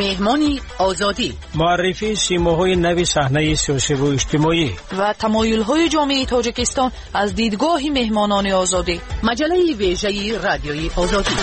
Меҳмони Озодӣ. Муаррифии симоҳои нави саҳнаи сиёсиву иҷтимоӣ ва тамоюлҳои ҷомеаи Тоҷикистон аз дидгоҳи меҳмонони Озодӣ. Маҷаллаи вежаи Радиои Озодӣ.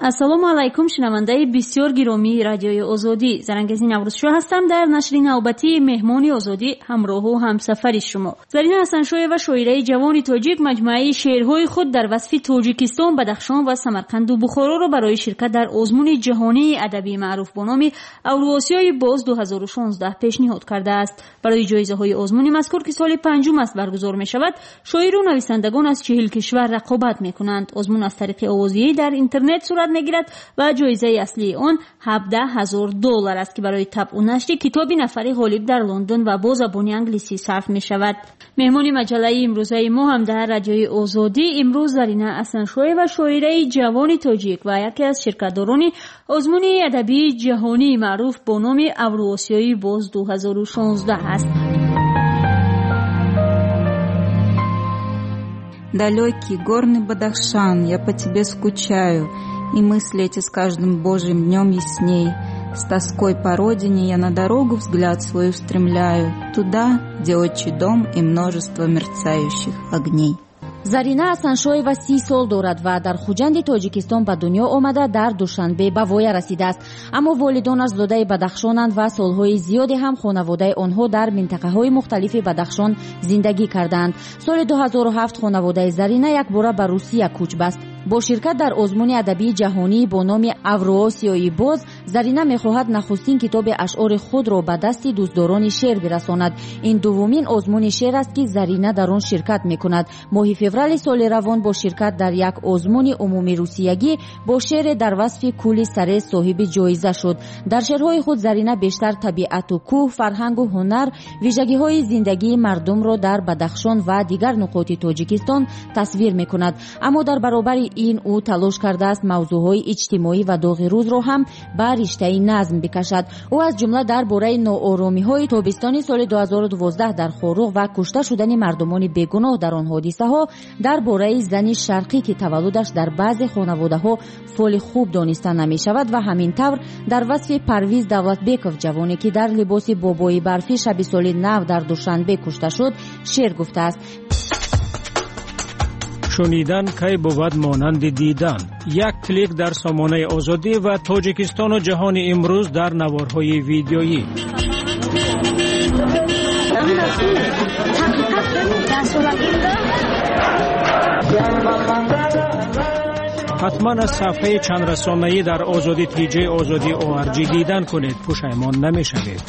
Ассалому алайкум, шунавандаи бисёр гиромии Радиои Озодӣ. Зарангези Наврӯзшоҳ ҳастам. Дар нашри навбатии Меҳмони Озодӣ ҳамроҳу ҳамсафари шумо. Зарина Ҳасаншоева, шоираи ҷавони тоҷик, маҷмӯаи шеърҳои худ дар васфи Тоҷикистон, Бадахшон ва Самарқанду Бухороро барои ширкат дар озмуни ҷаҳонии адабии маъруф бо номи Авруосиёи боз 2016 пешниҳод кардааст. Барои ҷоизаҳои озмуни мазкур, ки соли панҷум аст баргузор мешавад, шоиру нависандагон аз 40 кишвар рақобат мекунанд. Озмун аз тариқи овозӣ дар интернет сурат мегирад ва ҷоизаи аслии он $17,000 аст, ки барои табъу нашри китоби нафари ғолиб дар Лондон ва бо забони англисӣ сарф мешавад. Меҳмони маҷаллаи имрӯзаи мо ҳам дар Радиои Озодӣ имрӯз Зарина Ҳасаншоева, шоираи ҷавони тоҷик ва яке аз ширкатдорони озмуни адабии ҷаҳонии маъруф бо номи Авруосиёи боз 2016 аст. Далекий горный Бадахшан, я по тебе скучаю, и мысли эти с каждым божьим днем ясней. С тоской по родине я на дорогу взгляд свой устремляю, туда, где отчий дом и множество мерцающих огней. Зарина Ҳасаншоева 30 сол дорад ва дар Хуҷанди Тоҷикистон ба дунё омада, дар Душанбе ба воя расидааст. Аммо волидонаш зодаи Бадахшонанд ва солҳои зиёде ҳам хонаводаи онҳо дар минтақаҳои мухталифи Бадахшон зиндагӣ кардаанд. Соли 2007 хонаводаи Зарина якбора ба Русия кӯч баст. Бо ширкат дар озмуни адабии ҷаҳонӣ бо номи Авруосиёи боз, Зарина мехоҳад нахустин китоби ашъори худро ба дасти дӯстдорони шеър бирасонад. Ин дуввумин озмуни шеър аст, ки Зарина дар он ширкат мекунад. Моҳи феврали соли равон бо ширкат дар як озмуни умумирусиягӣ бо шеъре дар васфи кӯли Сарез соҳиби ҷоиза шуд. Дар шеърҳои худ Зарина бештар табиату кӯҳ, фарҳангу ҳунар, вижагиҳои зиндагии мардумро дар Бадахшон ва дигар нуқоти Тоҷикистон тасвир мекунад. Аммо дар баробари ин ӯ талош кардааст мавзӯъҳои иҷтимоӣ ва доғи рӯзро ҳам ба риштаи назм бикашад. Ӯ аз ҷумла дар бораи нооромиҳои тобистони соли 2012 дар Хоруғ ва кушта шудани мардумони бегуноҳ дар он ҳодисаҳо, дар бораи зани шарқӣ, ки таваллудаш дар баъзе хонаводаҳо фоли хуб дониста намешавад, ва ҳамин тавр дар васфи Парвиз Давлатбеков, ҷавоне ки дар либоси бобои барфӣ шаби соли нав дар Душанбе кушта шуд, шеър гуфтааст. Шунидан кай бувад монанди дидан? Як клик дар сомонаи Озодӣ ва Тоҷикистону ҷаҳони имрӯз дар наворҳои видеоӣ. Ҳатман аз сафҳаи чандрасонаӣ дар Озодӣ тиҷ Озодӣ ORG дидан кунед, пушаймон намешавед.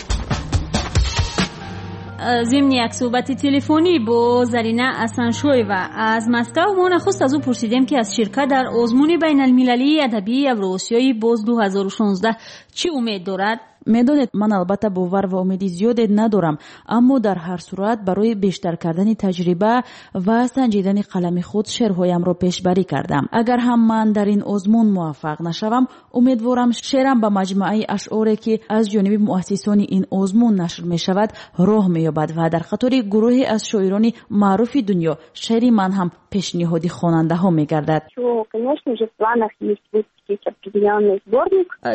Зимни як суҳбати телефонӣ бо Зарина Ҳасаншоева аз Москав, мо нахуст аз ӯ пурсидем, ки аз ширкат дар озмуни байналмилалии адабии Авруосиёи боз 2016 чӣ умед дорад. Медонед, ман албатта бовар ва умеди зиёде надорам, аммо дар ҳар сурат барои бештар кардани таҷриба ва санҷидани қалами худ шеърҳоямро пешбарӣ кардам. Агар ҳам ман дар ин озмун муваффақ нашавам, умедворам шеърам ба маҷмӯаи ашъоре, ки аз ҷониби муассисони ин озмун нашр мешавад, роҳ меёбад ва дар қатори гурӯҳе аз шоирони маъруфи дунё шеъри ман ҳам пешниҳоди хонандаҳо мегардад.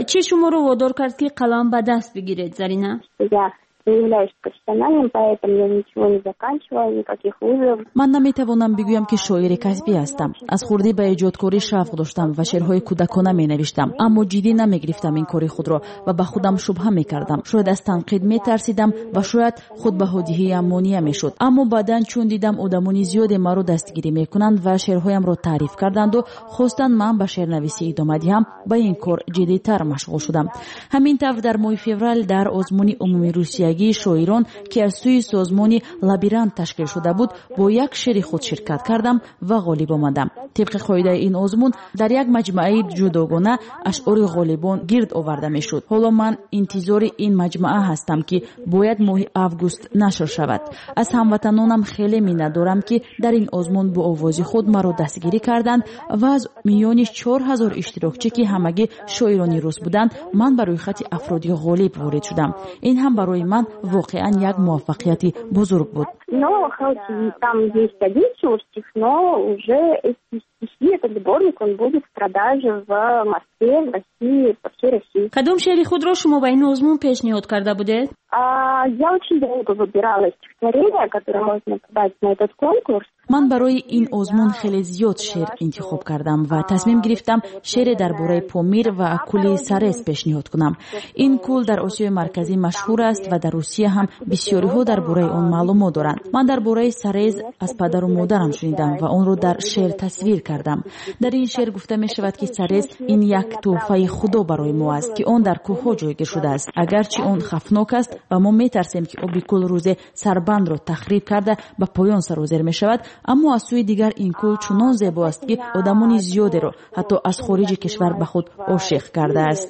Чӣ шуморо водор кард, ки қалам ба даст бигиред, Зарина? Я не являюсь профессиональным поэтом, я ничего не заканчивала, никаких вузов. Ман наметавонам бигӯям, ки шоири касбӣ ҳастам. Аз хурдӣ ба эҷодкорӣ шавқ доштам ва шеърҳои кӯдакона менавиштам, аммо ҷиддӣ намегирифтам ин кори худро ва ба худам шубҳа мекардам. Шояд аз танқид метарсидам ва шояд худбаҳодиҳиям монеа мешуд. Аммо баъдан чун дидам одамони зиёде маро дастгирӣ мекунанд ва шеърҳоямро таъриф карданду хостанд ман ба шеърнависӣ идома диҳам, ба ин кор ҷиддитар машғул шудам. Ҳамин тавр дар моҳи феврал дар озмуни умумирусиягии шоирон, ки аз сӯи созмони Лабирант ташкил шуда буд, бо як шеъри худ ширкат кардам ва ғолиб омадам. Тибқи қоидаи ин озмун дар як маҷмӯаи ҷудогона ашъори ғолибон гирд оварда мешуд. Ҳоло ман интизори ин маҷмӯа ҳастам, ки бояд моҳи август нашр шавад. Аз ҳамватанонам хеле миннатдорам, ки дар ин озмун бо овози худ маро дастгирӣ карданд ва аз миёни 4000 иштирокчӣ, ки ҳамагӣ шоирони рус буданд, ман ба рӯйхати афроди ғолиб ворид шудам. Ин ҳам барои ман воқеан як муваффақияти бузург буд. Но хоть и там есть один всего стих, но уже эти стихи, этот сборник сборник, он будет в продаже в Москве, в России, по всей России. Кадом шеъри худро шумо ба ин озмун пешниҳод карда будед? Я очень долго выбирала стихотворение, которое можно подать на этот конкурс. Ман барои ин озмун хеле зиёд шеър интихоб кардам ва тасмим гирифтам шеъре дар бораи Помир ва кӯли Сарез пешниҳод кунам. Ин кӯл дар Осиёи Марказӣ машҳур аст ва дар Русия ҳам бисёриҳо дар бораи он маълумот доранд. Ман дар бораи Сарез аз падару модарам шунидам ва онро дар шеър тасвир кардам. Дар ин шеър гуфта мешавад, ки Сарез ин як тӯҳфаи Худо барои мо аст, ки он дар кӯҳҳо ҷойгир шудааст. Агарчи он хавфнок аст ва мо метарсем, ки оби кӯл рӯзе сарбандро тахриб карда, ба поён сарозер мешавад, аммо аз сӯи дигар ин кӯл чунон зебо аст, ки одамони зиёдеро ҳатто аз хориҷи кишвар ба худ ошиқ кардааст.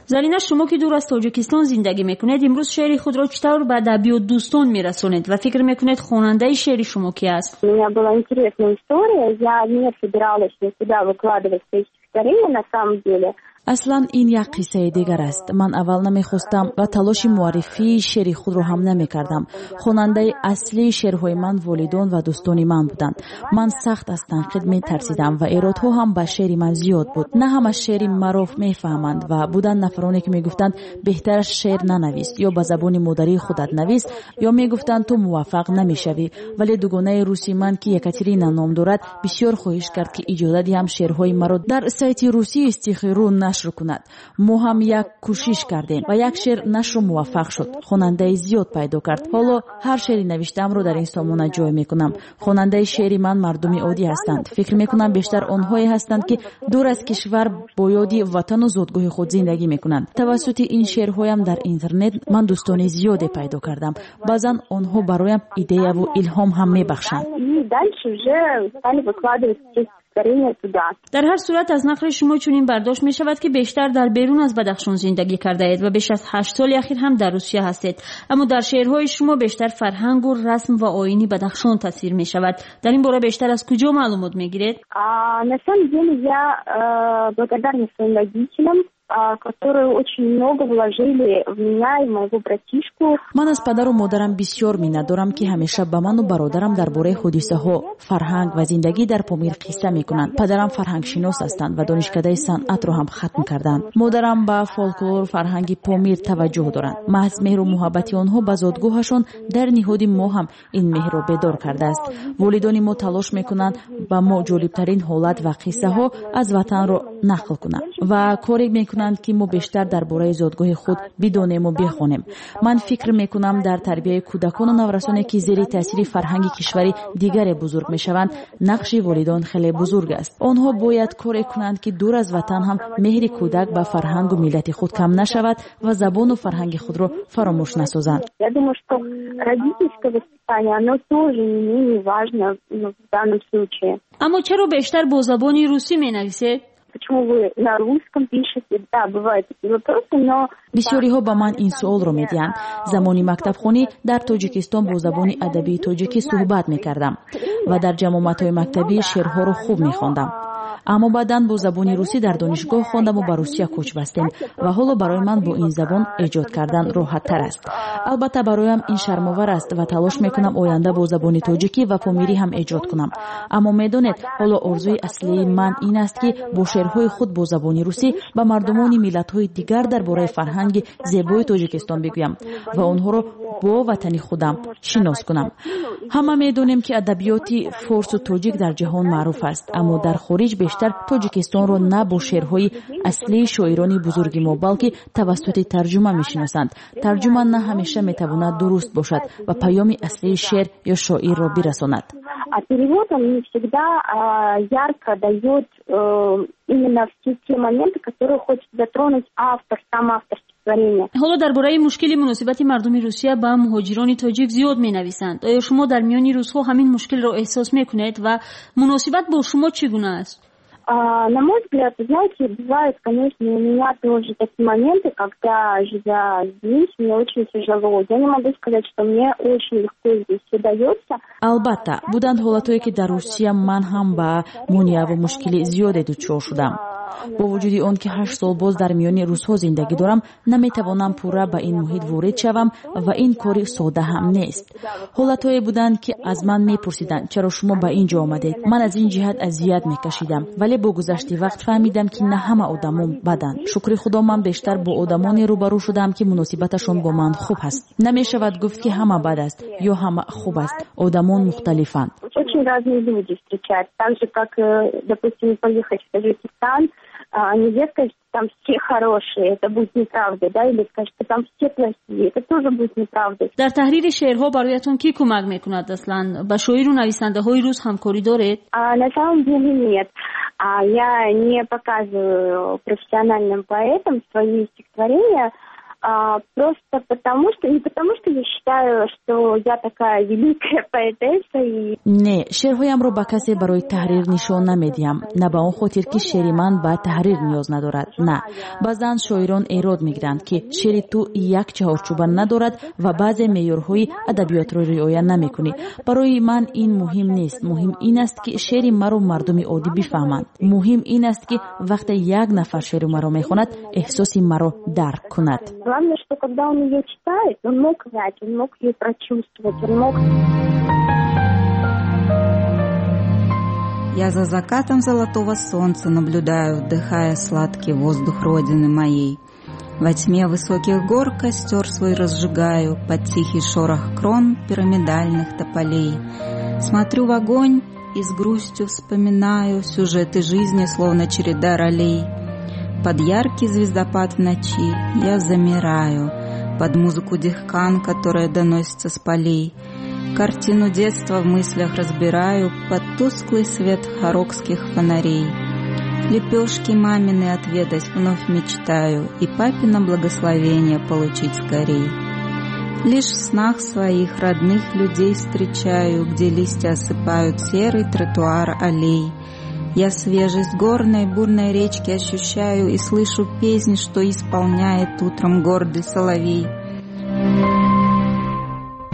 Зарина, шумо ки дур аз Тоҷикистон зиндагӣ мекунед, имрӯз шеъри худро чӣ тавр ба адабиётдӯстон мерасонед ва фикр мекунед, хонандаи шеъри шумо ки аст? У меня была интересная история. Я не собиралась никуда выкладывать свои стихотворения на самом деле. Аслан ин як қиссаи дигар аст. Ман аввал намехостам ва талоши муаррифии шеъри худро ҳам намекардам. Хонандаи аслии шеърҳои ман волидон ва дӯстони ман буданд. Ман сахт аз танқид метарсидам ва эродҳо ҳам ба шеъри ман зиёд буд. На ҳама шеъри маро мефаҳманд ва буданд нафароне, ки мегуфтанд, беҳтараш шеър нанавис ё ба забони модарии худат навис, ё мегуфтанд, ту муваффақ намешавӣ. Вале дугонаи руси ман, ки Екатерина ном дорад, бисёр хоҳиш кард, ки иҷоза диҳам шеърҳои маро дар сайти русии Стихи.ру нашр кунад. Мо ҳам як кӯшиш кардем ва як шеър нашру муваффақ шуд, хонандаи зиёд пайдо кард. Ҳоло ҳар шеъри навиштаамро дар ин сомона ҷой мекунам. Хонандаи шеъри ман мардуми оддӣ ҳастанд. Фикр мекунам, бештар онҳое ҳастанд, ки дур аз кишвар бо ёди ватану зодгоҳи худ зиндагӣ мекунанд. Тавассути ин шеърҳоям дар интернет ман дӯстони зиёде пайдо кардам. Баъзан онҳо бароям идеяву илҳом ҳам мебахшанд. Дар ҳар сурат, аз нақли шумо чунин бардошт мешавад, ки бештар дар берун аз Бадахшон зиндагӣ кардаед ва беш аз 8 соли ахир ҳам дар Русия ҳастед. Аммо дар шеърҳои шумо бештар фарҳангу расм ва оини Бадахшон тасвир мешавад. Дар ин бора бештар аз куҷо маълумот мегиред? На самом деле я благодарна своим родителям, которые очень много вложили в меня и в моего братишку. Ман аз падару модарам бисёр миннатдорам, ки ҳамеша ба ману бародарам дар бораи ҳодисаҳо, фарҳанг ва зиндагӣ дар Помир қисса мекунанд. Падарам фарҳангшинос ҳастанд ва донишкадаи санъатро ҳам хатм карданд. Модарам ба фолклору фарҳанги Помир таваҷҷӯҳ доранд. Маҳз меҳру муҳаббати онҳо ба зодгоҳашон дар ниҳоди мо ҳам ин меҳрро бедор кардааст. Волидони мо талош мекунанд, ба мо ҷолибтарин ҳолат ва қиссаҳо аз ватанро нақл кунанд ва коре мекунанд, ки мо бештар дар бораи зодгоҳи худ бидонему бихонем. Ман фикр мекунам, дар тарбияи кӯдакону наврасоне, ки зери таъсири фарҳанги кишвари дигаре бузург мешаванд, нақши волидон хеле бузург аст. Онҳо бояд коре кунанд, ки дур аз ватан ҳам меҳри кӯдак ба фарҳангу миллати худ кам нашавад ва забону фарҳанги худро фаромӯш насозанд. Я думаю, что родительское воспитание, оно тоже не менее важно в данном случае. Аммо чаро бештар бо забони русӣ менависед? Почему вы на русском пишете? Да, бывают такие вопросы, но... Бисёриҳо ба ман ин суолро медиҳанд. Замони мактабхонӣ дар Тоҷикистон бо забони адабии тоҷикӣ суҳбат мекардам ва дар ҷамъомадҳои мактабӣ шеърҳоро хуб мехондам. Аммо баъдан бо забони русӣ дар донишгоҳ хондаму ба Русия кӯч бастем ва ҳоло барои ман бо ин забон эҷод кардан роҳаттар аст. Албатта, бароям ин шармовар аст ва талош мекунам оянда бо забони тоҷикӣ ва помирӣ ҳам эҷод кунам. Аммо медонед, ҳоло орзуи аслии ман ин аст, ки бо шеърҳои худ бо забони русӣ ба мардумони миллатҳои дигар дар бораи фарҳанги зебои Тоҷикистон бигӯям ва онҳоро бо ватани худам шинос кунам. Ҳама медонем, ки адабиёти форсу тоҷик дар ҷаҳон маъруф аст, аммо дар хориҷ бештар Тоҷикистонро на бо шеърҳои аслии шоирони бузурги мо, балки тавассути тарҷума мешиносанд. Тарҷума на ҳамеша метавонад дуруст бошад ва паёми аслии шеър ё шоирро бирасонад. А перевод, он не всегда ярко дает именно все те моменты, которые хочет затронуть автор, сам автор стихотворения. Ҳоло дар бораи мушкили муносибати мардуми Русия ба муҳоҷирони тоҷик зиёд менависанд. Оё шумо дар миёни русҳо ҳамин мушкилро эҳсос мекунед ва муносибат бо шумо чӣ гуна аст? На мой взгляд, знаете, бывают, конечно, у меня тоже такие моменты, когда, живя здесь, мне очень тяжело. Я не могу сказать, что мне очень легко здесь все дается. Албатта, буданд ҳолатҳое, ки дар Русия ман ҳам ба монеаву мушкили зиёде дучор шудам. Бо вуҷуди он ки 8 сол боз дар миёни русҳо зиндагӣ дорам, наметавонам пурра ба ин муҳит ворид шавам ва ин кори сода ҳам нест. Ҳолатҳое буданд, ки аз ман мепурсиданд, чаро шумо ба ин ҷо омадед. Ман аз ин ҷиҳат азият мекашидам, вале бо гузашти вақт фаҳмидам, ки на ҳама одамон баданд. Шукри Худо, ман бештар бо одамоне рӯбарӯ шудам, ки муносибаташон бо ман хуб ҳаст. Намешавад гуфт, ки ҳама бад аст ё ҳама хуб аст. Одамон мухталифанд. Очень разные люди встречаются. Так же, как, допустим, поехать в Таджикистан, нельзя сказать, что там все хорошие, это будет неправда, да, или сказать, что там все плохие, это тоже будет неправда. Дар таҳрири шеърҳо бароятон кӣ кӯмак мекунад аслан? Ба шоиру нависандаҳои рус ҳамкорӣ доред? На самом деле нет. Я не показываю профессиональным поэтам свои стихотворения, просто потому что, не потому что я считаю, что я такая великая поэтесса и... Не, шеърҳоямро ба касе барои таҳрир нишон намедиҳам. На ба он хотир, ки шеъри ман ба таҳрир ниёз надорад. На. Баъзан шоирон эрод мегиранд, ки шеъри ту як чаҳорчӯба надорад ва баъзе меъёрҳои адабиётро риоя намекунӣ. Барои ман ин муҳим нест. Муҳим ин аст, ки шеъри маро мардуми оддӣ бифаҳманд. Муҳим ин аст, ки вақте як нафар шеъри маро мехонад, эҳсоси маро дарк кунад. Главное, что когда он ее читает, он мог понять, он мог ее прочувствовать, он мог... Я за закатом золотого солнца наблюдаю, вдыхая сладкий воздух родины моей. Во тьме высоких гор костер свой разжигаю под тихий шорох крон пирамидальных тополей. Смотрю в огонь и с грустью вспоминаю сюжеты жизни, словно череда ролей. Под яркий звездопад в ночи я замираю, под музыку дихкан, которая доносится с полей. Картину детства в мыслях разбираю под тусклый свет хорокских фонарей. Лепешки мамины отведать вновь мечтаю и папино благословение получить скорей. Лишь в снах своих родных людей встречаю, где листья осыпают серый тротуар аллей. Я свежесть горной бурной речки ощущаю и слышу песнь, что исполняет утром гордый соловей.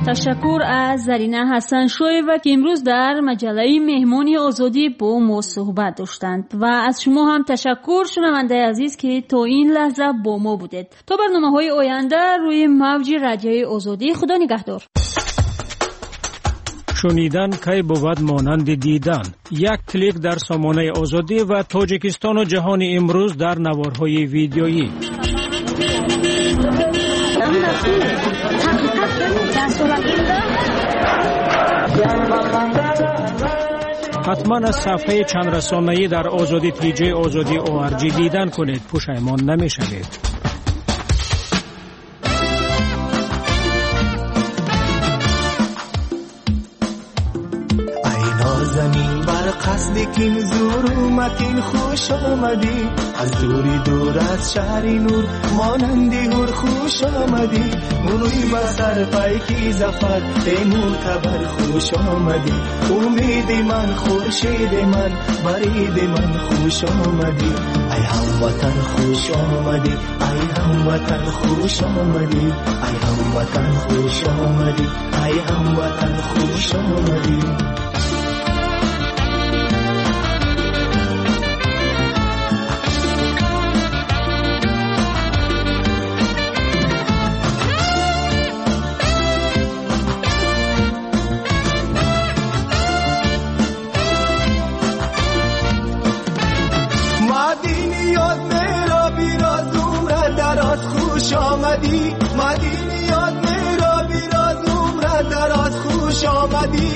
Ташаккур аз Зарина Ҳасаншоева, ки имрӯз дар маҷаллаи Меҳмони Озодӣ бо мо суҳбат доштанд. Ва аз шумо ҳам ташаккур, шунавандаи азиз, ки то ин лаҳза бо мо будед. То барномаҳои оянда рӯи мавҷи Радиои Озодӣ, Худо нигаҳдор. Шунидан кай бувад монанди дидан. Як клик дар сомонаи Озодӣ ва Тоҷикистону ҷаҳони имрӯз дар наворҳои видеоӣ. Ҳатман аз сафҳаи чандрасонаӣ дар Озодӣ TJ Озодӣ ORG дидан кунед. Пушаймон намешавед. قصدی که زور اومدین خوش آمدی، از دوری دور از شهر نور مانندی هور خوش آمدی، مروی با سر پیکی زفر ای معتبر خوش آمدی، امید من خورشید من برید من خوش آمدی، ای هموطن خوش آمدی، ای هموطن خوش آمدی، ای هموطن خوش آمدی، ای هموطن خوش آمدی. مدینی یاد میرا بیراز عمر دراز خوش آمدی،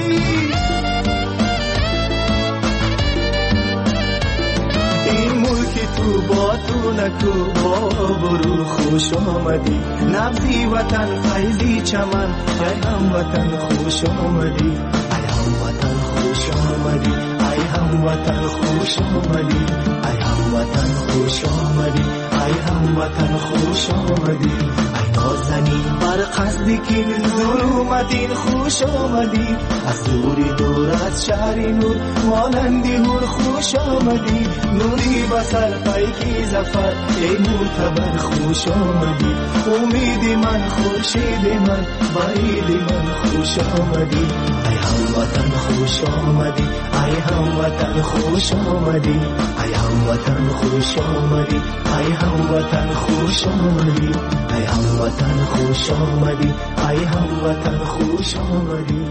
این ملک تو با تو نکو با برو خوش آمدی، نبضی وطن فیضی چمن ای هموطن خوش آمدی، ای هموطن خوش آمدی، ای هموطن خوش آمدی، ای هموطن خوش آمدی، ای هموطن خوش آمدی، ای نازنین بر قصدی که ظلمتین خوش آمدی، از دوری دور از شهر نور مانندی هور خوش آمدی، نوری به سر پیکی ظفر ای معتبر خوش آمدی، امید من خورشید من برید من خوش آمدی، ای هموطن хуш омадӣ, ай ҳамватан, хуш омадӣ, ай ҳамватан, хуш омадӣ, ай ҳамватан, хуш омадӣ, ай ҳамватан, хуш омадӣ, ай ҳамватан, хуш омадӣ.